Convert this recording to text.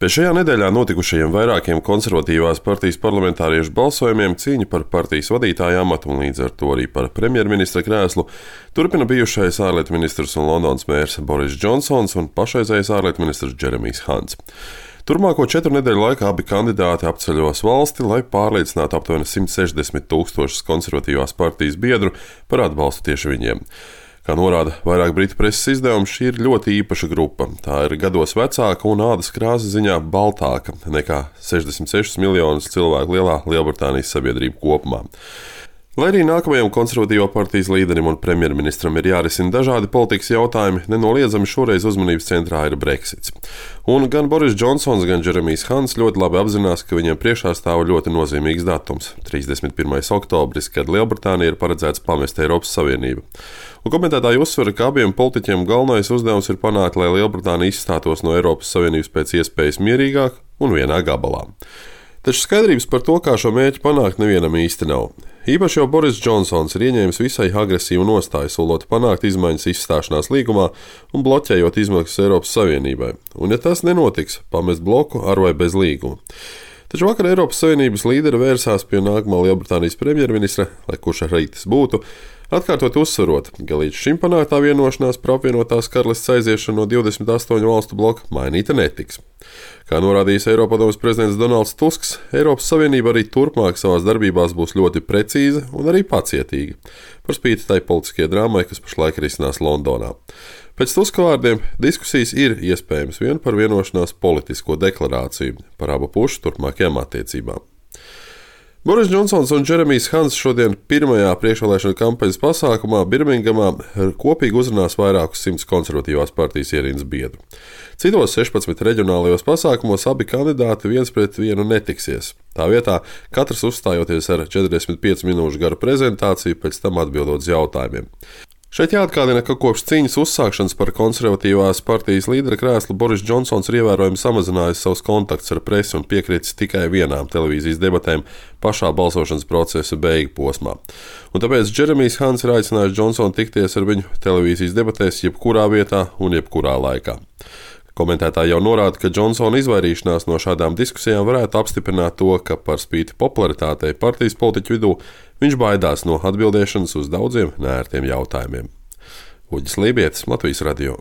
Pēc šajā nedēļā notikušajiem vairākiem konservatīvās partijas parlamentāriešu balsojumiem cīņa par partijas vadītāja amatu un līdz ar to arī par premjerministra krēslu turpina bijušais ārlietu ministrs un Londonas mērs Boris Džonsons un pašreizējais ārlietu ministrs Džeremijs Hants. Turmāko 4 nedēļu laikā abi kandidāti apceļos valsti, lai pārliecinātu aptuveni 160 000 konservatīvās partijas biedru par atbalstu tieši viņiem. Kā norāda vairāk britu preses izdevumi, šī ir ļoti īpaša grupa. Tā ir gados vecāka un ādas krāsas ziņā baltāka nekā 66 miljonus cilvēku lielā Lielbritānijas sabiedrība kopumā. Lai arī nākamajam konservatīvo partijas līderim un premjerministram ir jārisina dažādi politikas jautājumi, nenoliedzami šoreiz uzmanības centrā ir Brexits. Un gan Boris Džonsons, gan Džeremijs Hants ļoti labi apzinās, ka viņiem priekšā stāv ļoti nozīmīgs datums – 31. oktobris, kad Lielbritānija ir paredzēts pamest Eiropas Savienību. Un komentētāji uzsver, ka abiem politiķiem galvenais uzdevums ir panākt, lai Lielbritānija izstātos no Eiropas Savienības pēc iespējas mierīgāk un vienā gabalā. Taču skaidrības par to, kā šo mērķi panākt, nevienam īsti nav. Īpaši jau Boris Džonsons ir ieņēmis visai agresīvu nostāju, solot panākt izmaiņas izstāšanās līgumā un bloķējot izmaksas Eiropas Savienībai. Un ja tas nenotiks, pamest bloku ar vai bez līguma. Taču vakar Eiropas Savienības līderi vērsās pie nākamā Lielbritānijas premjerministra, lai kurš arī tas būtu, atkārtot uzsverot, ka līdz šim panāktā vienošanās par apvienotās karalistes aiziešanu no 28 valstu bloka mainīta netiks. Kā norādījis Eiropadomes prezidents Donalds Tusks, Eiropas Savienība arī turpmāk savās darbībās būs ļoti precīza un arī pacietīga, par spīti tai politiskajai drāmai, kas pašlaik risinās Londonā. Pēc Tuska vārdiem diskusijas ir iespējams vien par vienošanās politisko deklarāciju par abu pušu turpmākajām attiecībām. Boris Džonsons un Džeremijs Hants šodien pirmajā priekšvēlēšanu kampaņas pasākumā Birmingamā kopīgi uzrunās vairākus 100 konservatīvās partijas ierindas biedru. Citos 16 reģionālajos pasākumos abi kandidāti viens pret vienu netiksies. Tā vietā katrs uzstājoties ar 45 minūšu garu prezentāciju, pēc tam atbildot uz jautājumiem. Šeit jāatgādina, ka kopš cīņas uzsākšanas par konservatīvās partijas līdera krēslu Boris Džonsons ir ievērojami samazinājis savus kontaktus ar presi un piekritis tikai vienām televīzijas debatēm pašā balsošanas procesa beigu posmā. Un tāpēc Džeremijs Hants ir aicinājis Džonsonu tikties ar viņu televīzijas debatēs jebkurā vietā un jebkurā laikā. Komentētāji jau norāda, ka Džonsona izvairīšanās no šādām diskusijām varētu apstiprināt to, ka par spīti popularitātei partijas politiķu vidū viņš baidās no atbildēšanas uz daudziem neērtiem jautājumiem. Uģis Lībietis, Latvijas radio.